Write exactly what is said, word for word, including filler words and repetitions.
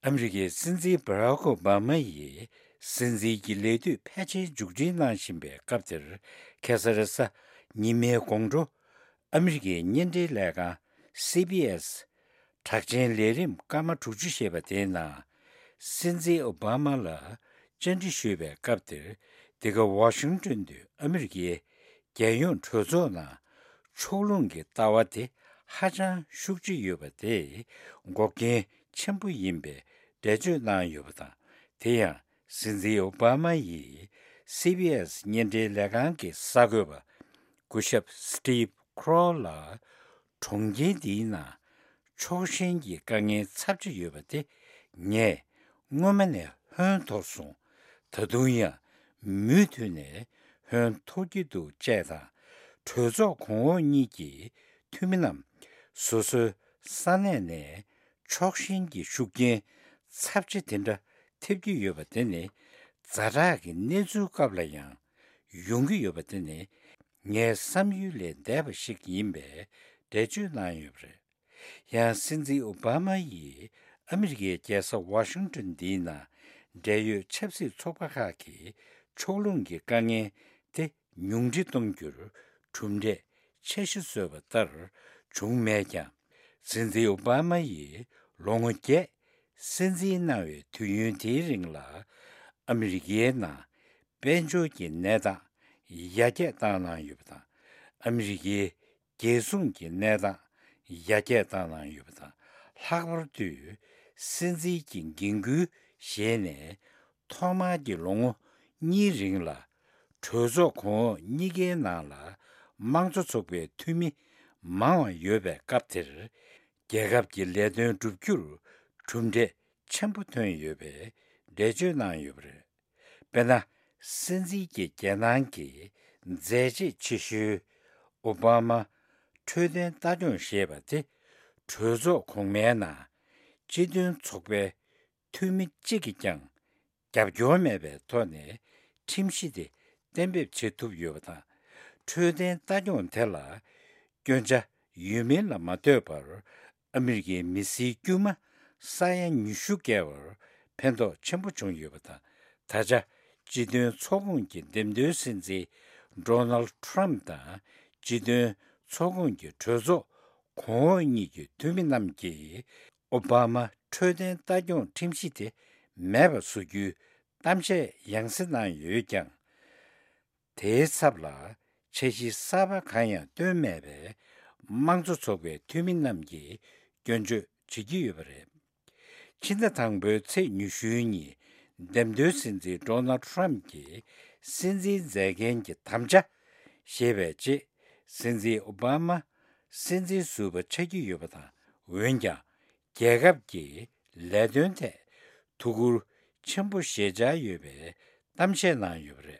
ཨ་མི་རི་ཀའི་སྲིད་འཛིན་བྷ་རག་ཨོ་བྷ་མ་ཡིས་སྲིད་འཛིན་གྱི་ལས་དུས་ཕལ་ཆེར་མཇུག་སྒྲིལ་གནང་བཞིན་པའི་སྐབས་དེར། ཁ་སང་རེས་གཟའ་ཉི་མའི་དགོང་དྲོ། ཨ་མི་རི་ཀའི་བརྙན་འཕྲིན་ལས་ཁང་སི་བྷི་ཨེས་གྲགས་ཅན་ལས་རིམ་སྐར་མ་དྲུག་ཅུ་ཞེས་པ་དེའི་ནང་། སྲིད་འཛིན་ཨོ་བྷ་མ་ལ་བཅར་འདྲི་ཞུས་པའི་སྐབས་དེར། འདི་ག་ཝ་ཤིང་ཏོན་དུ་ཨ་མི་རི་ཀའི་རྒྱལ་ཡོངས་གྲོས་ཚོགས་ནང་ཕྱོགས་ལྷུང་གི་ལྟ་བ་དེ་ཧ་ཅང་ཤུགས་ཆེ་ཡོད་པ་དེ་འགོག་རྐྱེན་ཆེན་པོ་ཡིན་པའི་འགྲེལ་བརྗོད་གནང་ཡོད་པ་དང་། དེ་ཡང་སྲིད་འཛིན་ཨོ་བྷ་མ་ཡིས་སི་བྷི་ཨེས་བརྙན་འཕྲིན་ལས་ཁང་གི་གསར་འགོད་པ་སྐུ་ཞབས་སི་ཏིབ་ཁྲོ་ལ། གྲོང་ཁྱེར་འདིའི་ནང་ཕྱོགས་ཞེན་གྱི་དཀའ་ངལ་ཚབས་ཆེ་ཡོད་པ་དེ་ངས་སྔོན་མ་ནས་ཧོན་མཐོང་སོང་། ད་དུང་ཡང་མུ་མཐུད་ནས་ཧོན་མཐོང་གི་འདུག་ཅེས་དང་། གྲོས་ཚོགས་གོང་འོག་གཉིས་ཀྱི་འཐུས་མི་རྣམས་སོ་སོའི་ས་གནས་ནས་ཕྱོགས་ཞེན་གྱི་ཤུགས་རྐྱེན་ཚབས་ཆེ་དེ་འདྲ་ཐེབས་ཀྱི་ཡོད་པ་དེ་ནི་ཛ་དྲག་གི་གནས་ཚུལ་སྐབས་ལ་ཡང་ཡོང་གི་ཡོད་པ་དེ་ནི་ངའི་བསམ་ཡུལ་ལས་འདས་པ་ཞིག་ཡིན་པའི་འགྲེལ་བརྗོད་གནང་ཡོད་པ་རེད། ཡང་སྲིད་འཛིན་ཨོ་བྷ་མ་ཡིས་ཨ་མི་རི་ཀའི་རྒྱལ་ས་ཝ་ཤིང་ཏོན་འདིའི་ནང་འབྲེལ་ཡོད་ཆབ་སྲིད་ཚོགས་པ་ཁག་གི་ཕྱོགས་ལྷུང་གི་དཀའ་ངལ་དེ་ཉུང་འཕྲི་གཏོང་རྒྱུར་གྲུབ་འབྲས་འཆར་གཞི་བཟོས་པ་ལྟར་བྱུང་མེད་ཀྱང་། སྲིད་འཛིན་ཨོ་བྷ་མ་ཡིས་ལོ་ངོ་བརྒྱད་སྲིད་འཛིན་གནང་བའི་དུས་ཡུན་དེའི་རིང་ལ་ཨ་མི་རི་ཀའི་ནང་དཔལ་འབྱོར་གྱི་གནས་སྟངས་ཡར་རྒྱས་བཏང་གནང་ཡོད་པ་དང་། ཨ་མི་རི་ཀའི་རྒྱལ་སྲུང་གི་གནས་སྟངས་ཡར་རྒྱས་བཏང་གནང་ཡོད་པ་དང་། ལྷག་པར་དུ་སྲིད་འཛིན་གྱི་འགན་ཁུར་བཞེས་ནས་ཐོག་མར་གྱི་ལོ་ངོ་གཉིས་རིང་ལ་གྲོས་ཚོགས་གོང་འོག་གཉིས་ཀའི་ནང་ལ་དམངས་གཙོ་ཚོགས་པའི་འཐུས་མི་མང་བ་ཡོད་པའི་སྐབས་དེར། རྒྱལ་ཁབ་ཀྱི་ལས་དོན་བསྒྲུབ་རྒྱུར་གྲུབ་འབྲས་ཆེན་པོ་ཐོན་ཡོད་པའི་འགྲེལ་བརྗོད་གནང་ཡོད་པ་རེད། དཔེར་ན། སྲིད་འཛིན་གྱི་རྒྱལ་ནང་གི་མཛད་རྗེས་ཆེ་ཤོས་ཨོ་བྷ་མ་འཕྲོད་བསྟེན་ལྟ་སྐྱོང་ཞེས་པ་དེ་གྲོས་ཚོགས་གོང་མའི་ནང་སྤྱི་མཐུན་ཚོགས་པའི་འཐུས་མི་གཅིག་གིས་ཀྱང་རྒྱབ་སྐྱོར་མེད་པའི་ཐོག་ནས་ཁྲིམས་གཞི་དེ་གཏན་འབེབས་བྱེད་ཐུབ་ཡོད་པ་དང་། འཕྲོད་བསྟེན་ལྟ་སྐྱོང་དེ་ལ་སྐྱོན་ཆ་ཡོད་མིན་ལ་མ་ལྟོས་པར། ཨ་མི་རི་ཀའི་མི་སེར་དཀྱུས་མ་ས་ཡ་ཉི་ཤུ་བརྒལ་བར་ཕན་ཐོགས་ཆེན་པོ་བྱུང་ཡོད་པ་དང་། ད་ཆ་སྤྱི་མཐུན་ཚོགས་ཁོངས་ཀྱི་འདེམས་ཐོན་སྲིད་འཛིན་ཌོ་ནལ་ཌི་ཊརམ་ཕི་དང་། སྤྱི་མཐུན་ཚོགས་ཁོངས་ཀྱི་གྲོས་ཚོགས་གོང་འོག་གཉིས་ཀྱི་འཐུས་མི་རྣམས་ཀྱིས་ཨོ་བྷ་མ་འཕྲོད་བསྟེན་ལྟ་སྐྱོང་ཁྲིམས་གཞི་དེ་མེད་པ་བཟོ་རྒྱུའི་གཏམ་བཤད་ཡང་སེ་གནང་ཡོད་ཀྱང་། དེའི་ཚབ་ལ་འཆར་གཞི་གསར་པ་གང་ཡང་བཏོན་མེད་པས། དམངས་གཙོ་ཚོགས་པའི་འཐུས་མི་རྣམས་ཀྱིས་སྐྱོན་བརྗོད་བྱེད་ཀྱི་ཡོད་པ་རེད། ཕྱི་ཟླ་དང་པོའི་ཚེས་ཉི་ཤུའི་ཉིན་འདེམས་ཐོན་སྲིད་འཛིན་ཌོ་ནལ་ཌི་ཊརམ་ཕི་གྱིས་སྲིད་འཛིན་མཛད་འགན་གྱི་དམ་བཅའ་བཞེས་པའི་རྗེས། སྲིད་འཛིན་ཨོ་བྷ་མ་སྲིད་འཛིན་ཟུར་པ་ཆགས་ཀྱི་ཡོད་པ་དང་། འོན་ཀྱང་། རྒྱལ་ཁབ་ཀྱི་ལས་དོན་ཐད་ཐུགས་ཁུར་ཆེན་པོ་བཞེས་འཆར་ཡོད་པའི་གཏམ་བཤད་གནང་ཡོད་པ་རེད།